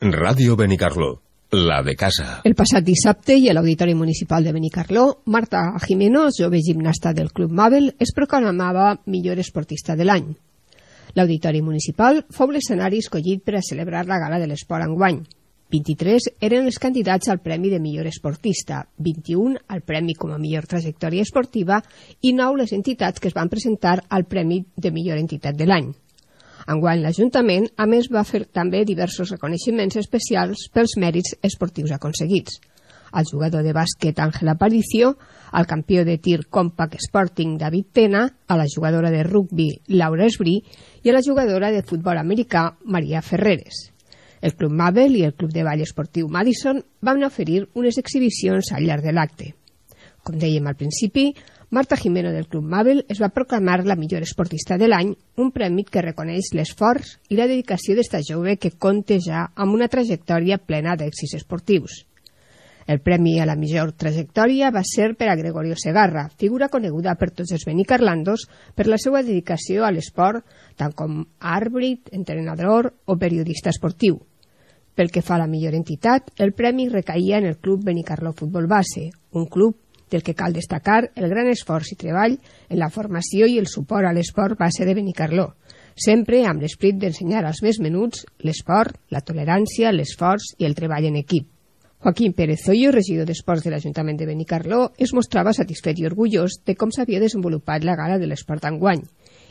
Ràdio Benicarló, la de casa. El passat dissabte i a l'Auditori Municipal de Benicarló, Marta Jimeno, jove gimnasta del Club Mabel, es proclamava millor esportista de l'any. L'Auditori Municipal fou l'escenari escollit per a celebrar la Gala de l'Esport enguany. 23 eren els candidats al Premi de Millor Esportista, 21 al Premi com a Millor Trajectòria Esportiva i 9 les entitats que es van presentar al Premi de Millor Entitat de l'any. Enguany l'Ajuntament, a més, va fer també diversos reconeixements especials pels mèrits esportius aconseguits. Al jugador de bàsquet Ángel Aparicio, al campió de tir Compact Sporting David Tena, a la jugadora de rugbi Laura Esbrí i a la jugadora de futbol americà Maria Ferreres. El Club Mabel i el Club de Ball Esportiu Madison van oferir unes exhibicions al llarg de l'acte. Com dèiem al principi, Marta Jimeno del Club Mabel es va proclamar la millor esportista de l'any, un premi que reconeix l'esforç i la dedicació d'esta jove que compta ja amb una trajectòria plena d'èxits esportius. El premi a la millor trajectòria va ser per a Gregorio Segarra, figura coneguda per tots els benicarlandos per la seva dedicació a l'esport, tant com àrbit, entrenador o periodista esportiu. Pel que fa a la millor entitat, el premi recaïa en el Club Benicarló Futbol Base, un club del que cal destacar el gran esforç i treball en la formació i el suport a l'esport base de Benicarló, sempre amb l'esprit d'ensenyar als més menuts l'esport, la tolerància, l'esforç i el treball en equip. Joaquín Pérez Hoyo, regidor d'Esports de l'Ajuntament de Benicarló, es mostrava satisfet i orgullós de com s'havia desenvolupat la Gala de l'Esport enguany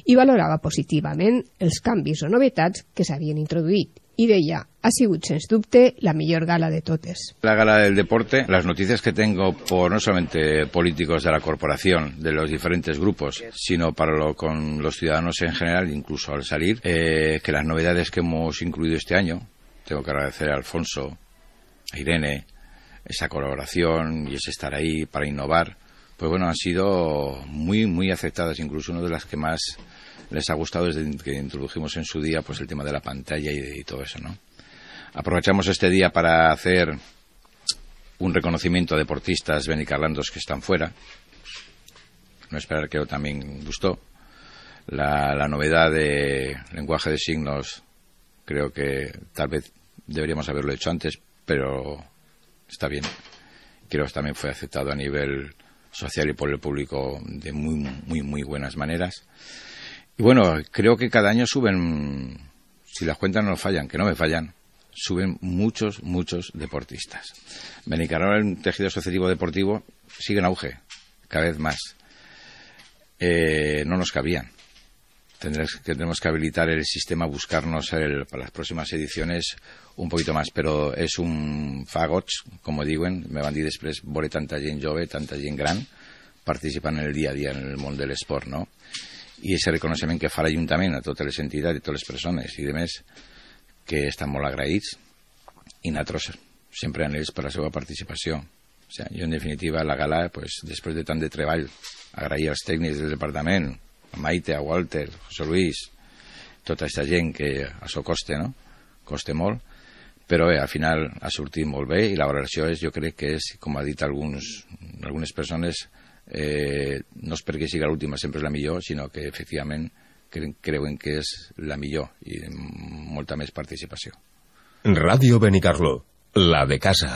i valorava positivament els canvis o novetats que s'havien introduït. Y deia, ha sigut, sens dubte, la millor gala de totes. La gala del deporte, las noticias que tengo por no solamente políticos de la corporación, de los diferentes grupos, sino con los ciudadanos en general, incluso al salir, que las novedades que hemos incluido este año, tengo que agradecer a Alfonso, a Irene, esa colaboración y ese estar ahí para innovar, pues bueno, han sido muy aceptadas, incluso una de las que más les ha gustado desde que introdujimos en su día pues el tema de la pantalla y todo eso, ¿no? Aprovechamos este día para hacer un reconocimiento a deportistas benicarlandos que están fuera. No esperar que también gustó. La novedad de lenguaje de signos creo que tal vez deberíamos haberlo hecho antes, pero está bien. Creo que también fue aceptado a nivel social y por el público de muy buenas maneras. Y bueno, creo que cada año suben, si las cuentas no fallan, que no me fallan, suben muchos deportistas. Benicarló, el tejido asociativo deportivo, sigue en auge, cada vez más. No nos cabían. Tendremos que habilitar el sistema, buscarnos para las próximas ediciones un poquito más, pero es un fagots, como diuen, me van dir després, veure tanta gent jove, tanta gent gran, participant en el dia a dia en el món de l'esport, no? I ese reconeixement que fa l'Ajuntament a totes les entitats i totes les persones i demés que estan molt agraïts i nosaltres sempre en ells per la seva participació. O sea, jo en definitiva la gala, pues, després de tant de treball, agrair als tècnics del departament, a Maite, a Walter, a José Luis, tota aquesta gent que això costa, no? Costa molt, però bé, al final ha sortit molt bé i la valoració és, jo crec que és, com ha dit algunes persones, no és perquè sigui l'última sempre és la millor, sinó que efectivament creuen que és la millor i amb molta més participació. Ràdio Benicarló, la de casa.